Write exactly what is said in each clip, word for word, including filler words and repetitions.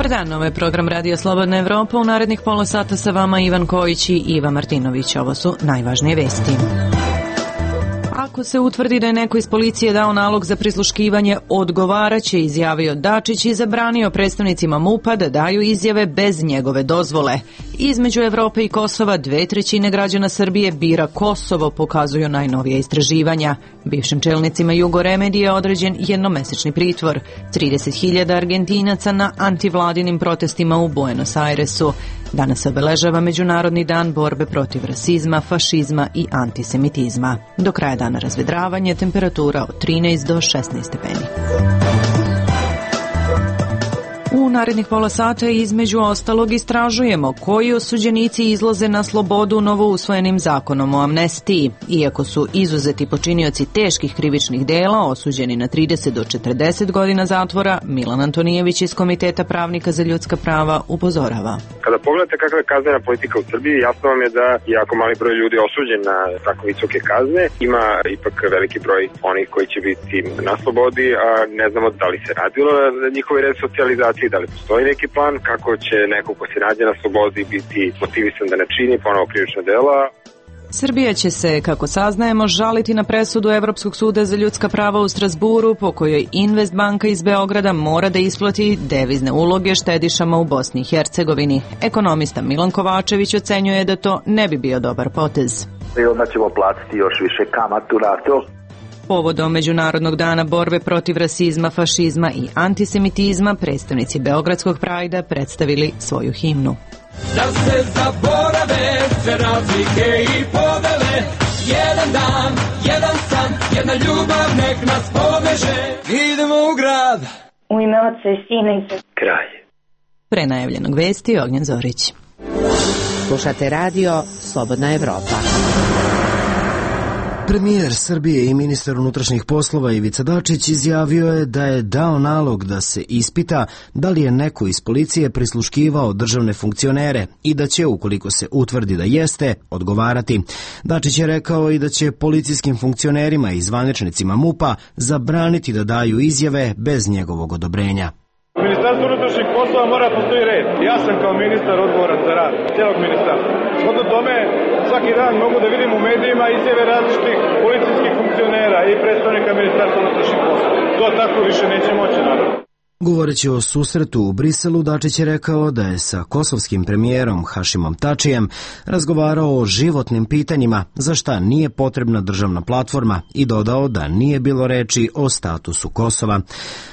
Dobar dan, ovo je program Radio Slobodna Evropa. U narednih pola sata sa vama Ivan Kojić i Iva Martinović. Ovo su najvažnije vesti. Ako se utvrdi da je neko iz policije dao nalog za prisluškivanje, odgovaraće, izjavio Dačić i zabranio predstavnicima MUP-a da daju izjave bez njegove dozvole. Između Evrope i Kosova dve trećine građana Srbije bira Kosovo, pokazuju najnovije istraživanja. Bivšim čelnicima Jugoremedije je određen jednomesečni pritvor. trideset hiljada Argentinaca na antivladinim protestima u Buenos Airesu. Danas se obeležava Međunarodni dan borbe protiv rasizma, fašizma i antisemitizma. Do kraja dana razvedravanje, temperatura od trinaest do šesnaest stepeni. U narednih pola sata između ostalog istražujemo koji osuđenici izlaze na slobodu novousvojenim zakonom o amnestiji. Iako su izuzeti počinioci teških krivičnih dela osuđeni na trideset do četrdeset godina zatvora, Milan Antonijević iz Komiteta pravnika za ljudska prava upozorava. Kada pogledate kakva je kaznena politika u Srbiji, jasno vam je da je jako mali broj ljudi osuđen na tako visoke kazne. Ima ipak veliki broj onih koji će biti na slobodi, a ne znamo da li se radilo na njihovoj resocijalizaciji, da li postoji neki plan kako će neko ko se nađe na slobodi biti motivisan da ne čini ponovo krivična dela. Srbija će se, kako saznajemo, žaliti na presudu Evropskog suda za ljudska prava u Strazburu, po kojoj Investbanka iz Beograda mora da isplati devizne uloge štedišama u Bosni i Hercegovini. Ekonomista Milan Kovačević ocenjuje da to ne bi bio dobar potez. I onda ćemo platiti još više kamatu na to. Povodom Međunarodnog dana borbe protiv rasizma, fašizma i antisemitizma, predstavnici Beogradskog Prajda predstavili svoju himnu. Da se zaborave sve razlike i podele, jedan dan, jedan san, jedna ljubav nek nas poveže. Idemo u grad. U ime Otca i Sina i Svetoga. Kraj. Pre najavljenog vesti Ognjen Zorić. Slušate radio Slobodna Evropa. Premijer Srbije i ministar unutrašnjih poslova Ivica Dačić izjavio je da je dao nalog da se ispita da li je neko iz policije prisluškivao državne funkcionere i da će, ukoliko se utvrdi da jeste, odgovarati. Dačić je rekao i da će policijskim funkcionerima i zvaničnicima MUP-a zabraniti da daju izjave bez njegovog odobrenja. U Ministarstvu unutrašnjih poslova mora postoji red. Ja sam kao ministar odgovoran za rad cijelog ministarstva. Shodno tome, svaki dan mogu da vidim u medijima izjave različitih policijskih funkcionera i predstavnika Ministarstva unutrašnjih poslova. To tako više neće moći, naravno. Govoreći o susretu u Briselu, Dačić je rekao da je sa kosovskim premijerom Hašimom Tačijem razgovarao o životnim pitanjima za šta nije potrebna državna platforma i dodao da nije bilo reči o statusu Kosova.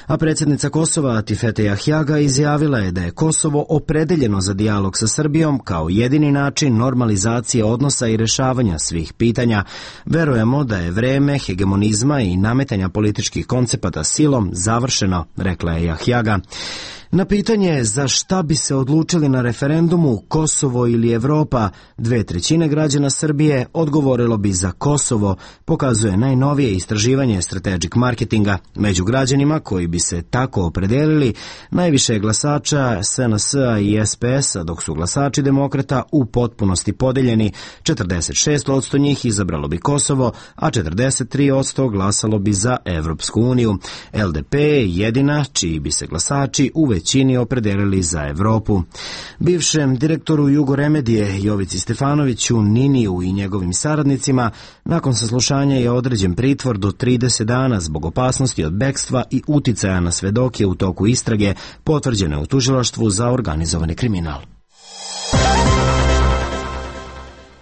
A predsjednica Kosova Atifete Jahjaga izjavila je da je Kosovo opredeljeno za dijalog sa Srbijom kao jedini način normalizacije odnosa i rešavanja svih pitanja. Verujemo da je vreme hegemonizma i nametanja političkih koncepata silom završeno, rekla je Jahjaga. Jahjaga. Na pitanje za šta bi se odlučili na referendumu Kosovo ili Evropa, dve trećine građana Srbije odgovorilo bi za Kosovo, pokazuje najnovije istraživanje Strategic Marketinga. Među građanima koji bi se tako opredelili, najviše je glasača S N S-a i S P S-a, dok su glasači demokrata u potpunosti podeljeni. četrdeset šest posto njih izabralo bi Kosovo, a četrdeset tri posto glasalo bi za Evropsku uniju. L D P je jedina čiji bi se glasači u većini opredelili za Evropu. Bivšem direktoru Jugoremedije Jovici Stefanoviću, Niniju i njegovim saradnicima nakon saslušanja je određen pritvor do trideset dana zbog opasnosti od bekstva i uticaja na svedoke u toku istrage potvrđene u tužilaštvu za organizovani kriminal.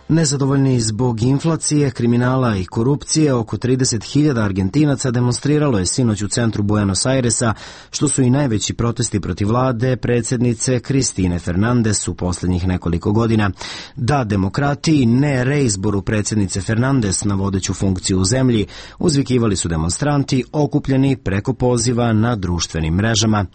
Nezadovoljni zbog inflacije, kriminala i korupcije, oko trideset hiljada Argentinaca demonstriralo je sinoć u centru Buenos Airesa, što su i najveći protesti protiv vlade predsjednice Kristine Fernandez u posljednjih nekoliko godina. Da demokratiji, ne reizboru predsjednice Fernandez na vodeću funkciju u zemlji, uzvikivali su demonstranti okupljeni preko poziva na društvenim mrežama.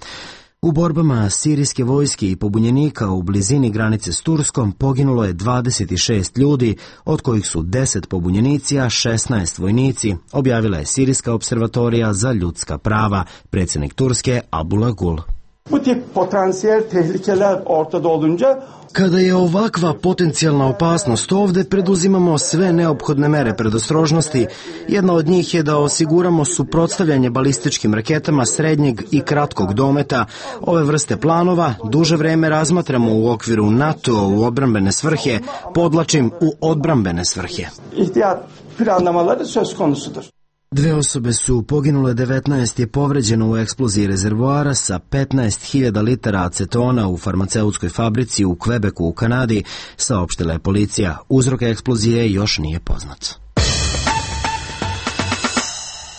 U borbama sirijske vojske i pobunjenika u blizini granice s Turskom poginulo je dvadeset šest ljudi, od kojih su deset pobunjenici, a šesnaest vojnici, objavila je Sirijska observatorija za ljudska prava, predsjednik Turske Abdullah Gül. Bu tip potansiyel tehlikeler ortada olunca Kada je ovakva potencijalna opasnost ovde, preduzimamo sve neophodne mere predostrožnosti. Jedna od njih je da osiguramo suprotstavljanje balističkim raketama srednjeg i kratkog dometa. Ove vrste planova duže vreme razmatramo u okviru NATO u odbrambene svrhe, podlačim u odbrambene svrhe. İhtiyat planlamaları söz konusudur. Dve osobe su poginule, devetnaest je povređeno u eksploziji rezervoara sa petnaest hiljada litara acetona u farmaceutskoj fabrici u Kvebeku u Kanadi, saopštila je policija. Uzrok eksplozije još nije poznat.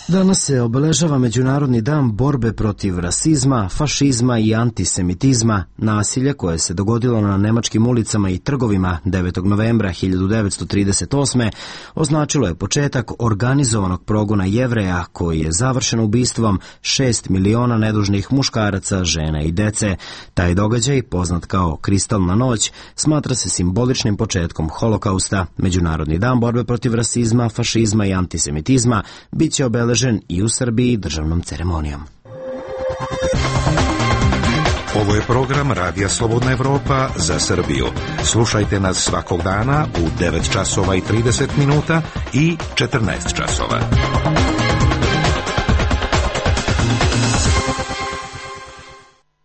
Danas se obeležava Međunarodni dan borbe protiv rasizma, fašizma i antisemitizma. Nasilje koje se dogodilo na nemačkim ulicama i trgovima devetog novembra hiljadu devetsto trideset osme. označilo je početak organizovanog progona Jevreja koji je završen ubistvom šest miliona nedužnih muškaraca, žena i dece. Taj događaj, poznat kao Kristalna noć, smatra se simboličnim početkom holokausta. Međunarodni dan borbe protiv rasizma, fašizma i antisemitizma bit će obeležen i u Srbiji državnom ceremonijom. Ovo je program Radija Slobodna Evropa za Srbiju. Slušajte nas svakog dana u devet časova i trideset minuta i četrnaest časova.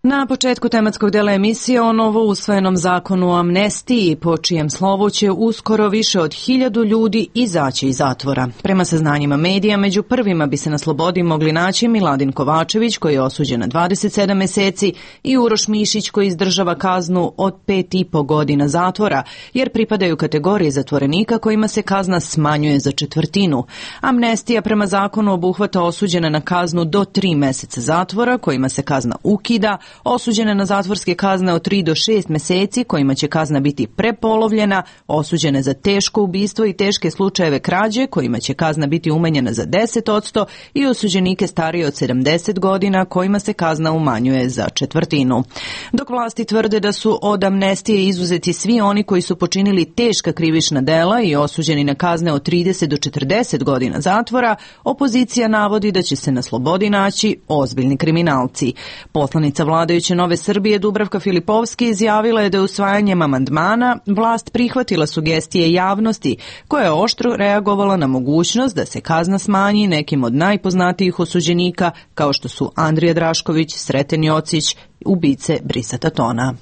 Na početku tematskog dela emisije o novo usvojenom zakonu o amnestiji, po čijem slovu će uskoro više od hiljadu ljudi izaći iz zatvora. Prema saznanjima medija, među prvima bi se na slobodi mogli naći Miladin Kovačević, koji je osuđen na dvadeset sedam meseci, i Uroš Mišić, koji izdržava kaznu od pet i po godina zatvora, jer pripadaju kategoriji zatvorenika kojima se kazna smanjuje za četvrtinu. Amnestija prema zakonu obuhvata osuđene na kaznu do tri meseca zatvora, kojima se kazna ukida, osuđene na zatvorske kazne od tri do šest meseci, kojima će kazna biti prepolovljena, osuđene za teško ubistvo i teške slučajeve krađe, kojima će kazna biti umanjena za deset posto, i osuđenike starije od sedamdeset godina, kojima se kazna umanjuje za četvrtinu. Dok vlasti tvrde da su od amnestije izuzeti svi oni koji su počinili teška krivična dela i osuđeni na kazne od trideset do četrdeset godina zatvora, opozicija navodi da će se na slobodi naći ozbiljni kriminalci. Poslanica vladajuće Nove Srbije Dubravka Filipovski izjavila je da je usvajanjem amandmana vlast prihvatila sugestije javnosti, koja je oštro reagovala na mogućnost da se kazna smanji nekim od najpoznatijih osuđenika, kao što su Andrija Drašković, Sreten Jocić, ubice Brisa Tatona.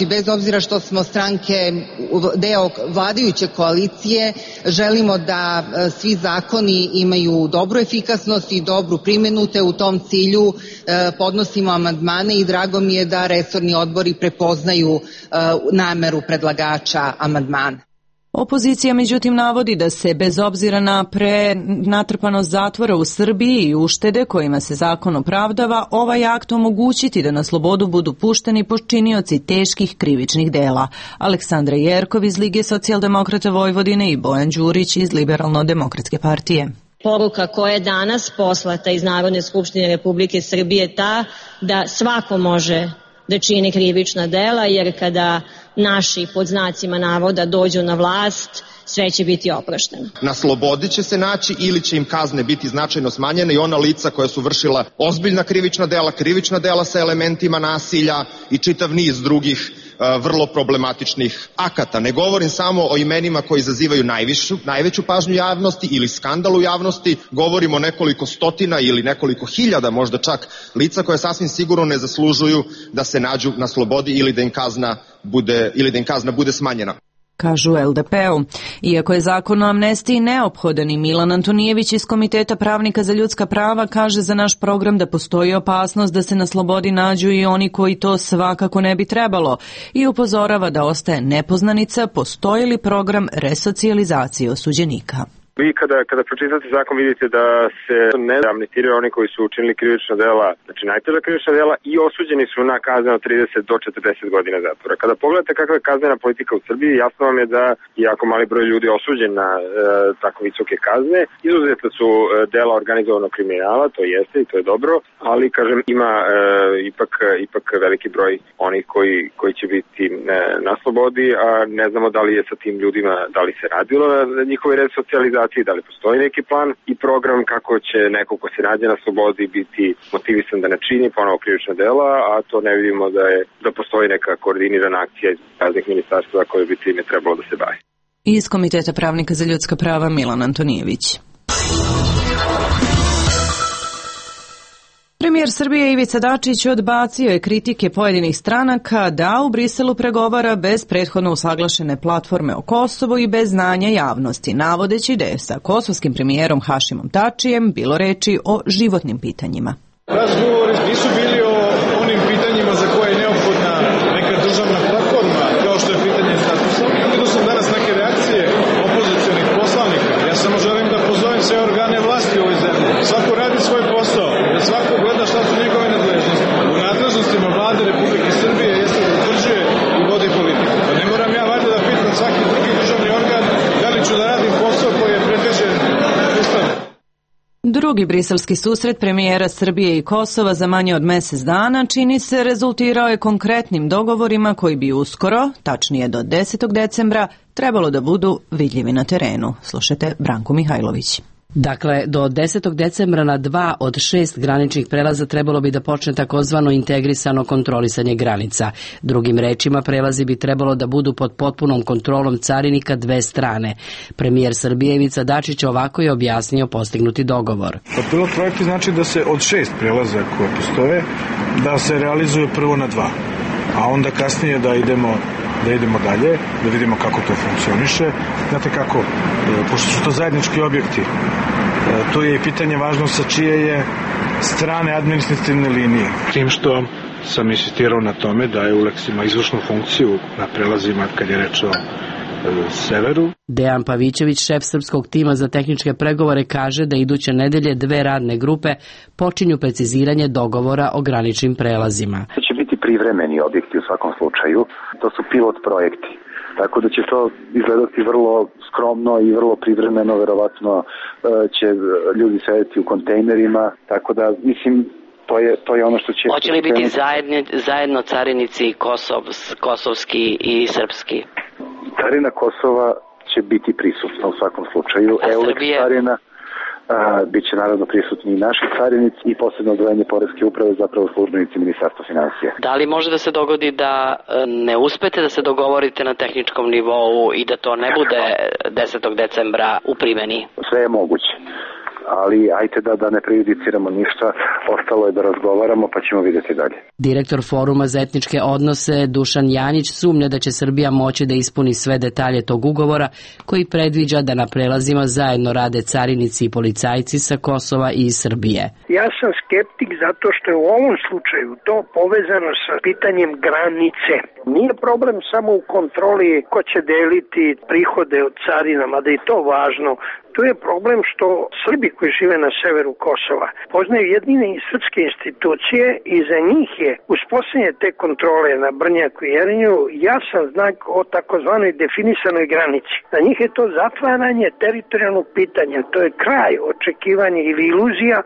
Bez obzira što smo stranke deo vladajuće koalicije, želimo da svi zakoni imaju dobru efikasnost i dobru primjenu, te u tom cilju podnosimo amandmane i drago mi je da resorni odbori prepoznaju nameru predlagača amandmana. Opozicija međutim navodi da se bez obzira na prenatrpanost zatvora u Srbiji i uštede kojima se zakon opravdava, ovaj akt omogućiti da na slobodu budu pušteni počinioci teških krivičnih dela. Aleksandra Jerkov iz Lige socijaldemokrata Vojvodine i Bojan Đurić iz Liberalno-demokratske partije. Poruka koja je danas poslata iz Narodne skupštine Republike Srbije ta da svako može da čini krivična dela, jer kada naši pod znacima navoda dođu na vlast, sve će biti oprošteno. Na slobodi će se naći ili će im kazne biti značajno smanjene i ona lica koja su vršila ozbiljna krivična dela, krivična dela sa elementima nasilja i čitav niz drugih vrlo problematičnih akata. Ne govorim samo o imenima koji izazivaju najvišu, najveću pažnju javnosti ili skandal u javnosti, govorimo o nekoliko stotina ili nekoliko hiljada možda čak lica koje sasvim sigurno ne zaslužuju da se nađu na slobodi ili da im kazna bude, ili da im kazna bude smanjena. Kažu el de pe-u. Iako je zakon o amnestiji neophodan, i Milan Antonijević iz Komiteta pravnika za ljudska prava kaže za naš program da postoji opasnost da se na slobodi nađu i oni koji to svakako ne bi trebalo, i upozorava da ostaje nepoznanica postoji li program resocijalizacije osuđenika. Vi kada, kada pročitate zakon vidite da se ne amnestiraju oni koji su učinili krivična dela, znači najteža krivična dela, i osuđeni su na kazne od trideset do četrdeset godina zatvora. Kada pogledate kakva je kaznena politika u Srbiji, jasno vam je da jako mali broj ljudi osuđen na e, tako visoke kazne. Izuzetno su e, dela organizovanog kriminala, to jeste i to je dobro, ali kažem ima e, ipak, ipak veliki broj onih koji, koji će biti e, na slobodi, a ne znamo da li je sa tim ljudima, da li se radilo na njihovoj resocijalizaciji rehabilitacije, da li postoji neki plan i program kako će neko ko se nađe na slobodi biti motivisan da ne čini ponovo krivična dela, a to ne vidimo da je da postoji neka koordinirana akcija iz raznih ministarstva koje bi time trebalo da se bavi. Iz Komiteta pravnika za ljudska prava Milan Antonijević. Premijer Srbije Ivica Dačić odbacio je kritike pojedinih stranaka da u Briselu pregovara bez prethodno usaglašene platforme o Kosovu i bez znanja javnosti, navodeći da je sa kosovskim premijerom Hašimom Tačijem bilo reči o životnim pitanjima. Razgovori nisu bili o onim pitanjima za koje je neophodna neka državna platforma, kao što je pitanje statusa. Vidio sam danas neke reakcije opozicionih poslanika. Ja samo želim da pozovem sve organe vlasti u ovoj zemlji. Svako radi svoj posao, da svako gleda šta su njegove nadležnosti. U nadležnostima vlade Republike Srbije jeste da utvrđuje i vodi politiku. Pa ne moram ja valjda da pitam svaki drugi državni organ da li ću da radim posao koji je predviđen Ustavom. Drugi briselski susret premijera Srbije i Kosova za manje od mesec dana čini se rezultirao je konkretnim dogovorima koji bi uskoro, tačnije do desetog decembra, trebalo da budu vidljivi na terenu. Slušajte Branku Mihajlović. Dakle, do desetog decembra na dva od šest graničnih prelaza trebalo bi da počne takozvano integrisano kontrolisanje granica. Drugim rečima, prelazi bi trebalo da budu pod potpunom kontrolom carinika dve strane. Premijer Srbije Ivica Dačić ovako je objasnio postignuti dogovor. Pilot projekti znači da se od šest prelaza koje postoje, da se realizuje prvo na dva, a onda kasnije da idemo da idemo dalje, da vidimo kako to funkcioniše. Znate kako, pošto su to zajednički objekti, to je i pitanje važno sa čije je strane administrativne linije. Tim što sam insistirao na tome da je Uleks ima izvršnu funkciju na prelazima kad je reč o severu. Dejan Pavićević, šef srpskog tima za tehničke pregovore, kaže da iduće nedelje dve radne grupe počinju preciziranje dogovora o graničnim prelazima. To će biti privremeni objekti u svakom slučaju, to su pilot projekti. Tako da će to izgledati vrlo skromno i vrlo privremeno, verovatno će ljudi sedeti u kontejnerima, tako da mislim to je, to je ono što će... Hoće li biti zajedno, zajedno carinici Kosov, kosovski i srpski? Carina Kosova će biti prisutna u svakom slučaju. Euleks carina, a, bit će naravno prisutni i naši carinici i posebno odvojanje poreske uprave, zapravo službenici Ministarstva finansija. Da li može da se dogodi da ne uspete da se dogovorite na tehničkom nivou i da to ne bude desetog decembra u primeni? Sve je moguće, ali ajte da, da ne prejudiciramo ništa, ostalo je da razgovaramo pa ćemo vidjeti dalje. Direktor Foruma za etničke odnose Dušan Janjić sumnja da će Srbija moći da ispuni sve detalje tog ugovora koji predviđa da na prelazima zajedno rade carinici i policajci sa Kosova i Srbije. Ja sam skeptik zato što je u ovom slučaju to povezano sa pitanjem granice. Nije problem samo u kontroli ko će deliti prihode od carina, mada je to važno. Tu je problem što Srbi koji žive na severu Kosova poznaju jedine srpske institucije i za njih je uspostavljanje te kontrole na Brnjaku i Jerinju jasan znak o takozvanoj definisanoj granici. Za njih je to zatvaranje teritorijalnog pitanja, to je kraj očekivanja ili iluzija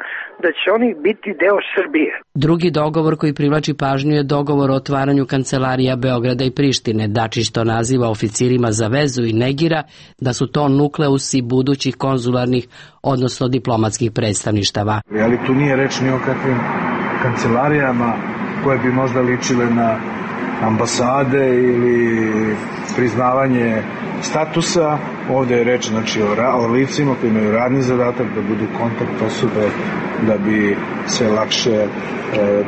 da će oni biti deo Srbije. Drugi dogovor koji privlači pažnju je dogovor o otvaranju kancelarija Beograda i Prištine. Dačić to naziva oficirima za vezu i negira da su to nukleusi budućih konzularnih, odnosno diplomatskih predstavništava. Ali tu nije reč ni o kakvim kancelarijama koje bi možda ličile na ambasade ili priznavanje statusa. Ovde je reč znači, o, ra, o licima koji imaju radni zadatak da budu kontakt osobe da bi se lakše e,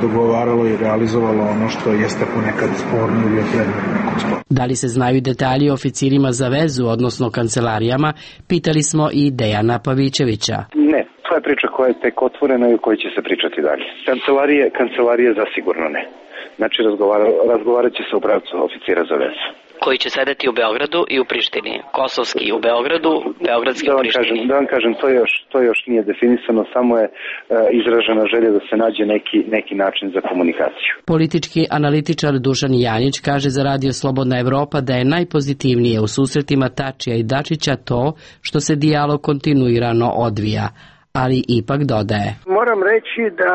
dogovaralo i realizovalo ono što jeste ponekad sporno ili je predmet nekog spora. Da li se znaju detalji o oficirima za vezu, odnosno kancelarijama, pitali smo i Dejana Pavićevića. Ne, to je priča koja je tek otvorena i o kojoj će se pričati dalje. Kancelarije, kancelarije zasigurno ne. Znači razgovara, razgovarat će se u pravcu oficira za vezu. Koji će sedeti u Beogradu i u Prištini. Kosovski u Beogradu, beogradski da u Prištini. Kažem, da vam kažem, to još, to još nije definisano, samo je e, izražena želja da se nađe neki, neki način za komunikaciju. Politički analitičar Dušan Janjić kaže za Radio Slobodna Evropa da je najpozitivnije u susretima Tačija i Dačića to što se dijalog kontinuirano odvija, ali ipak dodaje. Moram reći da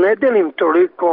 ne delim toliko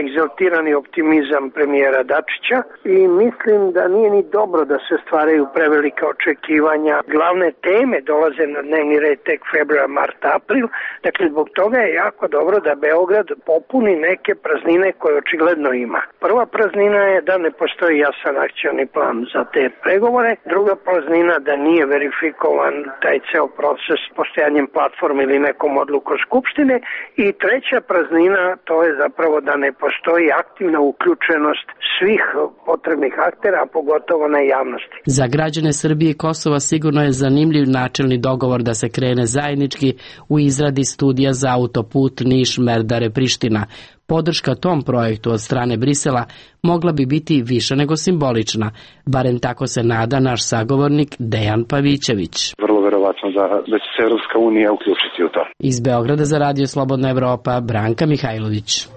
egzaltirani optimizam premijera Dačića i mislim da nije ni dobro da se stvaraju prevelika očekivanja. Glavne teme dolaze na dnevni red tek februar, mart, april. Dakle, zbog toga je jako dobro da Beograd popuni neke praznine koje očigledno ima. Prva praznina je da ne postoji jasan akcioni plan za te pregovore. Druga praznina da nije verifikovan taj ceo proces postojanjem platforme ili nekom odlukom Skupštine. I treća praznina, to je zapravo da ne postoji aktivna uključenost svih potrebnih aktera, a pogotovo na javnosti. Za građane Srbije i Kosova sigurno je zanimljiv načelni dogovor da se krene zajednički u izradi studija za autoput Niš-Merdare-Priština. Podrška tom projektu od strane Brisela mogla bi biti više nego simbolična, barem tako se nada naš sagovornik Dejan Pavićević. Vrlo verovatno da, da će se Evropska unija uključiti u to. Iz Beograda za Radio Slobodna Evropa, Branka Mihajlović.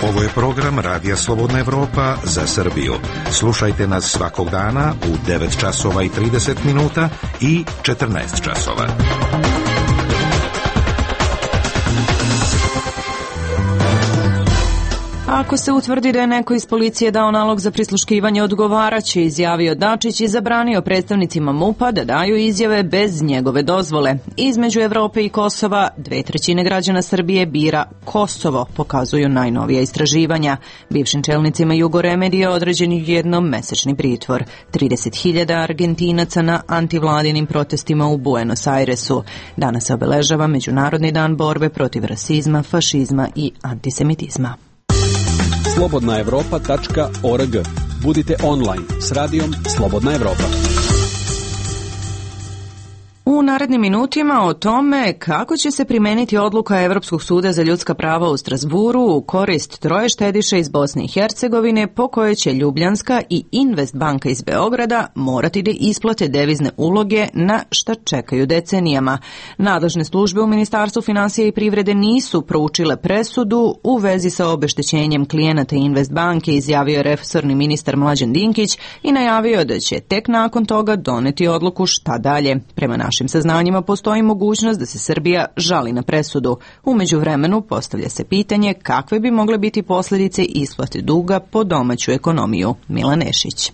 Ovo je program Radija Slobodna Evropa za Srbiju. Slušajte nas svakog dana u devet časova i trideset minuta i četrnaest časova. Ako se utvrdi da je neko iz policije dao nalog za prisluškivanje, odgovaraće, izjavio Dačić i zabranio predstavnicima MUP-a da daju izjave bez njegove dozvole. Između Evrope i Kosova dve trećine građana Srbije bira Kosovo, pokazuju najnovija istraživanja. Bivšim čelnicima Jugoremedije određen je jednomesečni pritvor. trideset hiljada Argentinaca na antivladinim protestima u Buenos Airesu. Danas se obeležava Međunarodni dan borbe protiv rasizma, fašizma i antisemitizma. slobodna evropa tačka org. Budite online s radijom Slobodna Evropa. U narednim minutima o tome kako će se primeniti odluka Evropskog suda za ljudska prava u Strasburu u korist troje štediša iz Bosne i Hercegovine, po kojoj će Ljubljanska i Invest banka iz Beograda morati da isplate devizne uloge na šta čekaju decenijama. Nadležne službe u Ministarstvu finansija i privrede nisu proučile presudu u vezi sa obeštećenjem klijenata Invest banke, izjavio je resorni ministar Mlađan Dinkić i najavio da će tek nakon toga doneti odluku šta dalje. Prema našim saznanjima postoji mogućnost da se Srbija žali na presudu. U međuvremenu postavlja se pitanje kakve bi mogle biti posljedice isplate duga po domaću ekonomiju. Milan Nešić.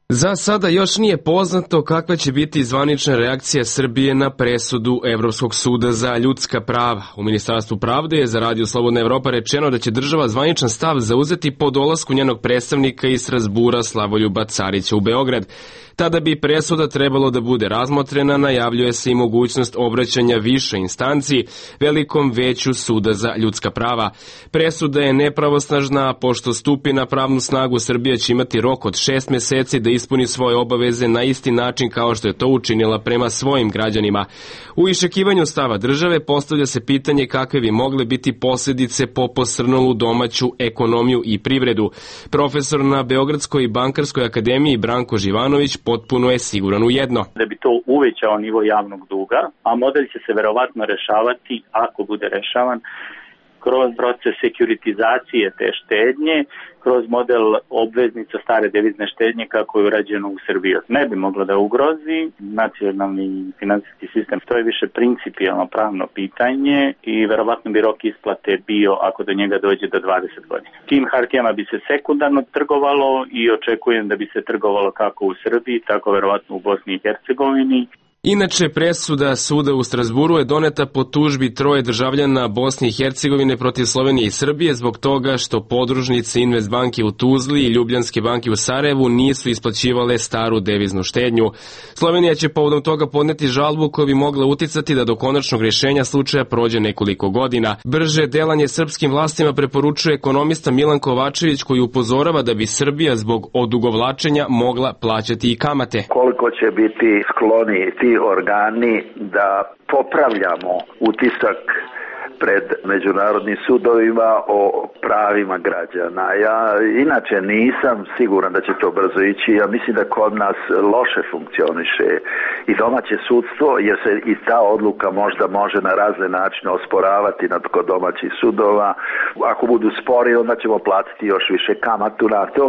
Za sada još nije poznato kakva će biti zvanična reakcija Srbije na presudu Evropskog suda za ljudska prava. U Ministarstvu pravde je za Radio Slobodna Evropa rečeno da će država zvaničan stav zauzeti po dolasku njenog predstavnika iz Strasbura Slavoljuba Carića u Beograd. Tada bi presuda trebalo da bude razmotrena, najavljuje se i mogućnost obraćanja više instanci velikom veću suda za ljudska prava. Presuda je nepravosnažna, pošto stupi na pravnu snagu Srbija će imati rok od šest meseci da ispuni svoje obaveze na isti način kao što je to učinila prema svojim građanima. U iščekivanju stava države postavlja se pitanje kakve bi mogle biti posljedice po posrnulu domaću ekonomiju i privredu. Profesor na Beogradskoj bankarskoj akademiji Branko Živanović potpuno je siguran u jedno. Da bi to uvećao nivo javnog duga, a model će se verovatno rešavati, ako bude rešavan, kroz proces sekuritizacije te štednje, kroz model obveznica stare devizne štednje kako je urađeno u Srbiji. Ne bi moglo da ugrozi nacionalni finansijski sistem. To je više principijalno pravno pitanje i verovatno bi rok isplate bio, ako do njega dođe, do dvadeset godina. Tim hartijama bi se sekundarno trgovalo i očekujem da bi se trgovalo kako u Srbiji, tako verovatno u Bosni i Hercegovini. Inače, presuda suda u Strasburu je doneta po tužbi troje državljana Bosne i Hercegovine protiv Slovenije i Srbije zbog toga što podružnice Invest banke u Tuzli i Ljubljanske banke u Sarajevu nisu isplaćivale staru deviznu štednju. Slovenija će povodom toga podneti žalbu koja bi mogla uticati da do konačnog rješenja slučaja prođe nekoliko godina. Brže delanje srpskim vlastima preporučuje ekonomista Milan Kovačević, koji upozorava da bi Srbija zbog odugovlačenja mogla plaćati i kamate. Koliko će biti skloni ti organi da popravljamo utisak pred međunarodnim sudovima o pravima građana. Ja inače nisam siguran da će to brzo ići. Ja mislim da kod nas loše funkcioniše i domaće sudstvo, jer se i ta odluka možda može na razne načine osporavati nad kod domaćih sudova. Ako budu spori, onda ćemo platiti još više kamatu na to.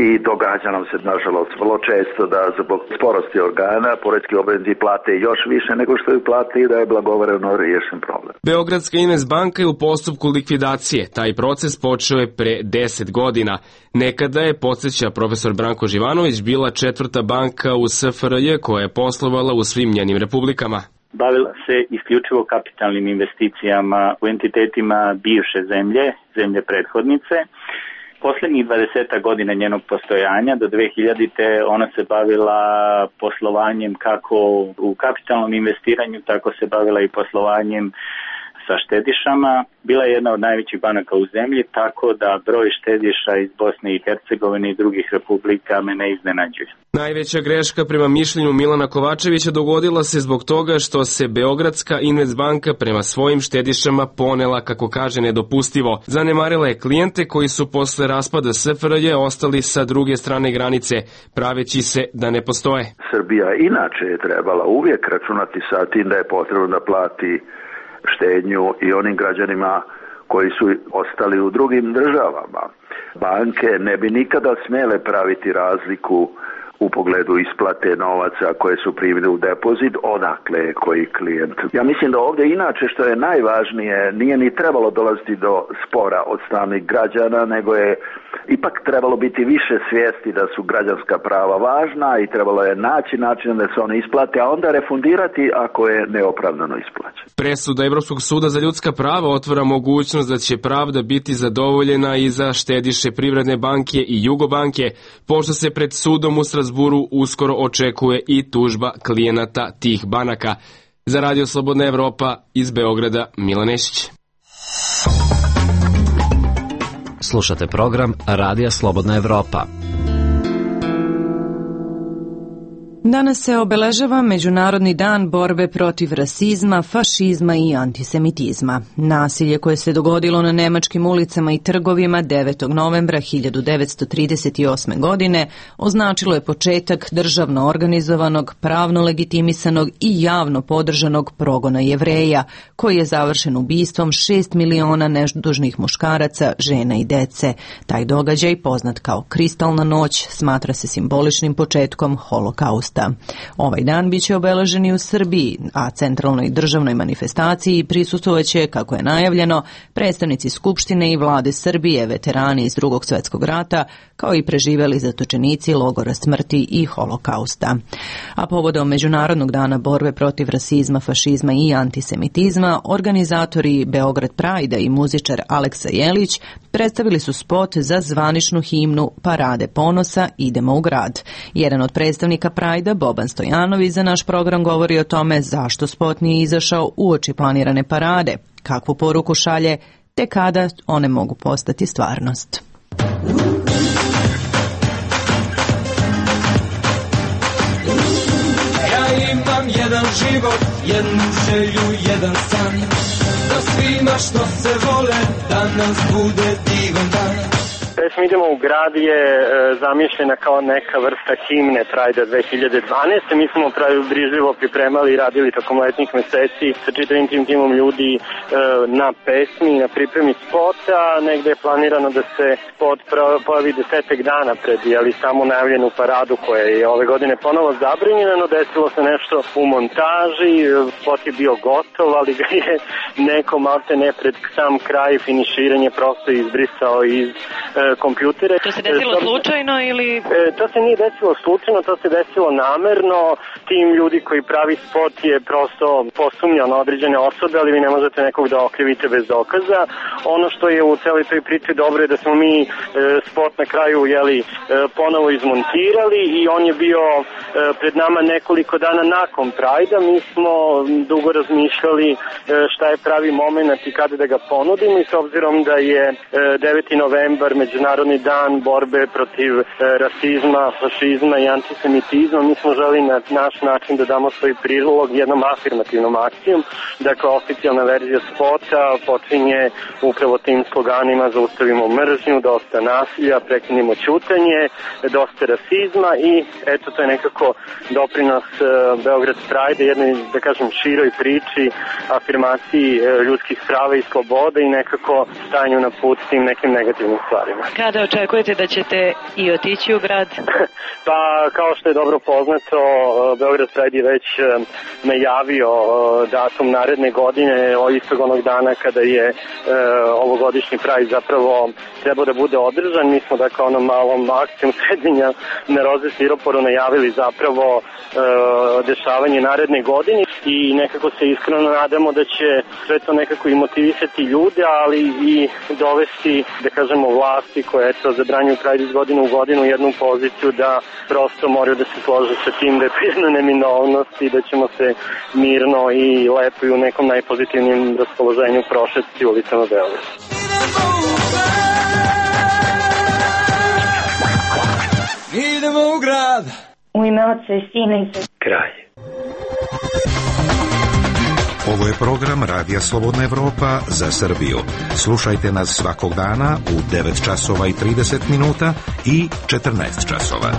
i događa nam se nažalost vrlo često da zbog sporosti organa poreski obveznici plate još više nego što ju plate i da je blagovremeno riješen problem. Beogradska Investbanka je u postupku likvidacije. Taj proces počeo je pre deset godina. Nekada je, podsjeća profesor Branko Živanović, bila četvrta banka u S F R J koja je poslovala u svim njenim republikama. Bavila se isključivo kapitalnim investicijama u entitetima bivše zemlje, zemlje prethodnice. Poslednjih dvadeset godina njenog postojanja, do dve hiljadite. ona se bavila poslovanjem kako u kapitalnom investiranju, tako se bavila i poslovanjem sa štedišama. Bila je jedna od najvećih banaka u zemlji, tako da broj štediša iz Bosne i Hercegovine i drugih republika me ne iznenađuje. Najveća greška prema mišljenju Milana Kovačevića dogodila se zbog toga što se Beogradska Investbanka prema svojim štedišama ponela, kako kaže, nedopustivo. Zanemarila je klijente koji su posle raspada S F R J ostali sa druge strane granice, praveći se da ne postoje. Srbija inače je trebala uvijek računati sa tim da je potrebno da plati štednju i onim građanima koji su ostali u drugim državama. Banke ne bi nikada smjele praviti razliku u pogledu isplate novaca koje su primili u depozit, odakle je koji klijent. Ja mislim da ovdje inače što je najvažnije nije ni trebalo dolaziti do spora od strane građana, nego je ipak trebalo biti više svijesti da su građanska prava važna i trebalo je naći način da se one isplate, a onda refundirati ako je neopravdano isplaćeno. Presuda Evropskog suda za ljudska prava otvara mogućnost da će pravda biti zadovoljena i za štediše Privredne banke i Jugobanke, pošto se pred sudom u Strazburu uskoro očekuje i tužba klijenata tih banaka. Za Radio Slobodna Evropa iz Beograda, Milan Nešić. Slušate program Radija Slobodna Evropa. Danas se obeležava Međunarodni dan borbe protiv rasizma, fašizma i antisemitizma. Nasilje koje se dogodilo na nemačkim ulicama i trgovima devetog novembra hiljadu devetsto trideset osme. godine označilo je početak državno organizovanog, pravno legitimisanog i javno podržanog progona Jevreja, koji je završen ubistvom šest miliona nedužnih muškaraca, žena i dece. Taj događaj, poznat kao Kristalna noć, smatra se simboličnim početkom holokausta. Ovaj dan biće obeležen i u Srbiji, a centralnoj državnoj manifestaciji prisustvovaće, kako je najavljeno, predstavnici Skupštine i vlade Srbije, veterani iz Drugog svjetskog rata, kao i preživeli zatočenici logora smrti i holokausta. A povodom Međunarodnog dana borbe protiv rasizma, fašizma i antisemitizma, organizatori Beograd Pride i muzičar Aleksa Jelić predstavili su spot za zvaničnu himnu Parade ponosa Idemo u grad. Jedan od predstavnika Pride, Boban Stojanović, za naš program govori o tome zašto spot nije izašao uoči planirane parade, kakvu poruku šalje, te kada one mogu postati stvarnost. Ja imam jedan život, jednu želju, jedan san, da svima što se vole danas bude divan dan. Pesma Idemo u grad je e, zamišljena kao neka vrsta himne Pride dve hiljade dvanaeste. Mi smo pravi brižljivo pripremali i radili tokom letnjih meseci sa čitavim tim timom ljudi e, na pesmi, na pripremi spota. Negde je planirano da se spot pojavi desetak dana pred jeli, samo najavljenu paradu koja je ove godine ponovo zabranjena, no desilo se nešto u montaži, spot je bio gotov, ali ga je neko malte ne pred sam kraj finiširanje prosto izbrisao iz e, kompjutere. To se desilo e, slučajno ili? E, to se nije desilo slučajno, to se desilo namerno. Tim ljudi koji pravi spot je prosto posumnjao na određene osobe, ali vi ne možete nekog da okrivite bez dokaza. Ono što je u celoj toj priči dobro je da smo mi e, spot na kraju jeli, e, ponovo izmontirali i on je bio e, pred nama nekoliko dana nakon Prajda. Mi smo dugo razmišljali e, šta je pravi moment i kada da ga ponudimo i s obzirom da je e, deveti novembar Međunarodni dan borbe protiv e, rasizma, fašizma i antisemitizma, mi smo želi na naš način da damo svoj prilog jednom afirmativnom akcijom. Dakle, oficijalna verzija spota počinje upravo tim sloganima: zaustavimo mržnju, dosta nasilja, prekinimo ćutanje, dosta rasizma i eto, to je nekako doprinos e, Beograd Pride, jednoj, da kažem, široj priči, afirmaciji e, ljudskih prava i sloboda i nekako stanju na put tim nekim negativnim stvarima. problema. Kada očekujete da ćete i otići u grad? Pa, kao što je dobro poznato, Beograd Pride je već najavio datum naredne godine, istog onog dana kada je e, ovogodišnji Pride zapravo trebao da bude održan. Mi smo dakle onom malom akcijom srednjenja na Roze Stiroporu najavili zapravo e, dešavanje naredne godine i nekako se iskreno nadamo da će sve to nekako i motivisati ljude, ali i dovesti, da kažemo, vlasti koje eto zabranjuju Pride iz godine u godinu u jednu poziciju da prosto moraju da se slože sa tim da je to jedna neminovnost i da ćemo se mirno i lepo i u nekom najpozitivnijem raspoloženju prošetiti ulicama Beograda. Idemo u grad. U ime Oca i Sina i Svetoga. Kraj. Ovo je program Radija Slobodna Evropa za Srbiju. Slušajte nas svakog dana u devet časova i trideset minuta i četrnaest časova.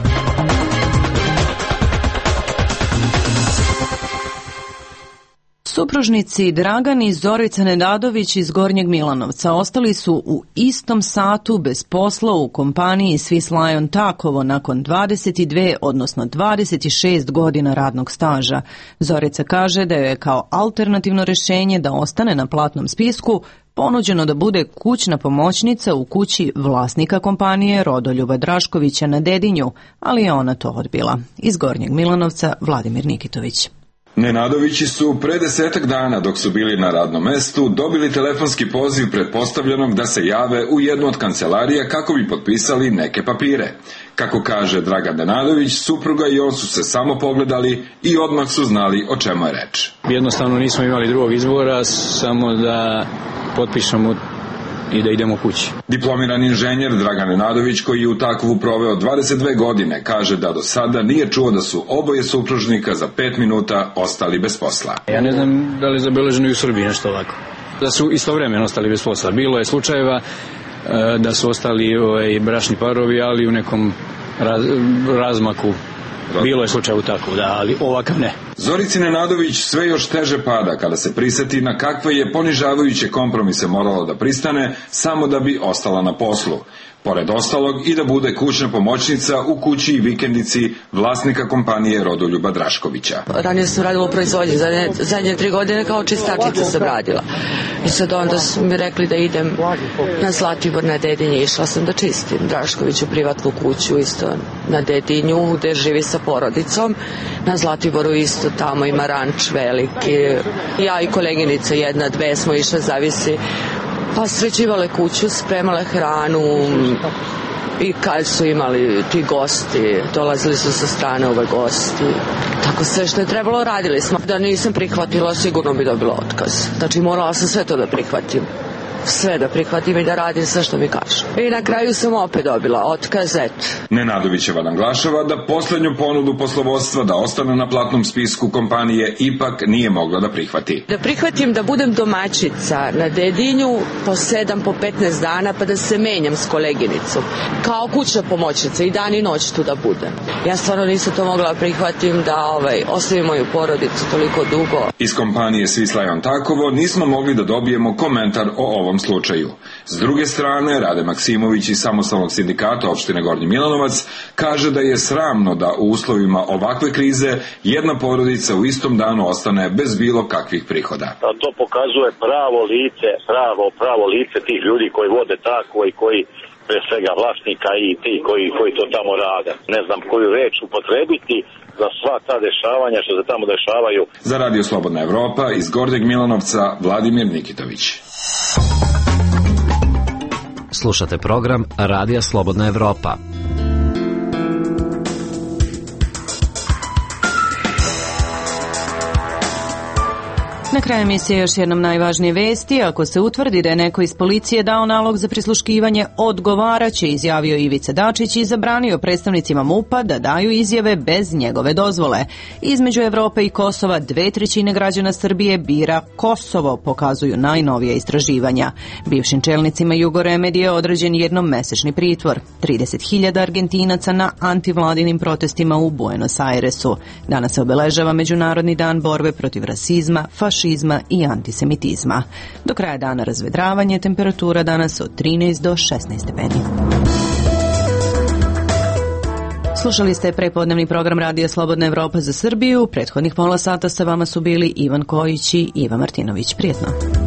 Supružnici Dragan i Zorica Nenadović iz Gornjeg Milanovca ostali su u istom satu bez posla u kompaniji Swiss Lion Takovo nakon dvadeset dve, odnosno dvadeset šest godina radnog staža. Zorica kaže da je kao alternativno rešenje da ostane na platnom spisku ponuđeno da bude kućna pomoćnica u kući vlasnika kompanije Rodoljuba Draškovića na Dedinju, ali je ona to odbila. Iz Gornjeg Milanovca Vladimir Nikitović. Nenadovići su pre desetak dana, dok su bili na radnom mestu, dobili telefonski poziv pretpostavljenog da se jave u jednu od kancelarija kako bi potpisali neke papire. Kako kaže Dragan Nenadović, supruga i on su se samo pogledali i odmah su znali o čemu je reč. Jednostavno nismo imali drugog izbora, samo da potpišemo i da idemo kući. Diplomirani inženjer Dragan Nenadović, koji je u Takovu proveo dvadeset dve godine, kaže da do sada nije čuo da su oboje supružnika za pet minuta ostali bez posla. Ja ne znam da li je zabeleženo i u Srbiji nešto ovako. Da su istovremeno ostali bez posla. Bilo je slučajeva e, da su ostali ovaj, bračni parovi, ali u nekom raz, razmaku. Bilo je slučaj u tako, da, ali ovakav ne. Zorici Nenadović sve još teže pada kada se priseti na kakve je ponižavajuće kompromise morala da pristane samo da bi ostala na poslu. Pored ostalog i da bude kućna pomoćnica u kući i vikendici vlasnika kompanije Rodoljuba Draškovića. Ranije sam radila u proizvodnji, zadnje, zadnje tri godine kao čistačica sam radila. I sad onda su mi rekli da idem na Zlatibor na Dedinje, išla sam da čistim Draškoviću privatnu kuću isto na Dedinju gde živi sa porodicom. Na Zlatiboru isto tamo ima ranč veliki. Ja i koleginica jedna, dve smo išle, zavisi. Pa sređivale kuću, spremale hranu i kad su imali ti gosti, dolazili su sa strane ove gosti. Tako sve što je trebalo radili smo. Da nisam prihvatila, sigurno bi dobila otkaz. Znači morala sam sve to da prihvatim. Sve da prihvatim i da radim sve što mi kažu. I na kraju sam opet dobila otkaz, eto. Nenadovićeva naglašava da poslednju ponudu poslovodstva da ostane na platnom spisku kompanije ipak nije mogla da prihvati. Da prihvatim da budem domaćica na Dedinju po sedam, po petnaest dana pa da se menjam s koleginicom. Kao kućna pomoćnica i dan i noć tu da budem. Ja stvarno nisam to mogla prihvatim da ovaj, ostavim moju porodicu toliko dugo. Iz kompanije Swiss Lion Takovo nismo mogli da dobijemo komentar o ovom slučaju. S druge strane, Rade Maksimović iz Samostalnog sindikata opštine Gornji Milanovac kaže da je sramno da u uslovima ovakve krize jedna porodica u istom danu ostane bez bilo kakvih prihoda. To pokazuje pravo lice, pravo, pravo lice tih ljudi koji vode tako i koji pre svega vlasnika i ti koji, koji to tamo rade. Ne znam koju reč upotrebiti za sva ta dešavanja što se tamo dešavaju. Za Radio Slobodna Evropa iz Gornjeg Milanovca Vladimir Nikitović. Slušate program Radija Slobodna Evropa. Na kraju emisije još jednom najvažnije vesti. Ako se utvrdi da je neko iz policije dao nalog za prisluškivanje, odgovaraće, izjavio Ivica Dačić i zabranio predstavnicima MUP-a da daju izjave bez njegove dozvole. Između Evrope i Kosova dve trećine građana Srbije bira Kosovo, pokazuju najnovija istraživanja. Bivšim čelnicima Jugoremedije određen jednom mesečni pritvor. trideset hiljada Argentinaca na antivladinim protestima u Buenos Airesu. Danas se obeležava Međunarodni dan borbe protiv rasizma, fašizma fašizma i antisemitizma. Do kraja dana razvedravanje, temperatura danas od trinaest do šesnaest stepeni. Slušali ste prepodnevni program Radija Slobodna Evropa za Srbiju. Prethodnih pola sata sa vama su bili Ivan Kojić i Iva Martinović. Prijetno.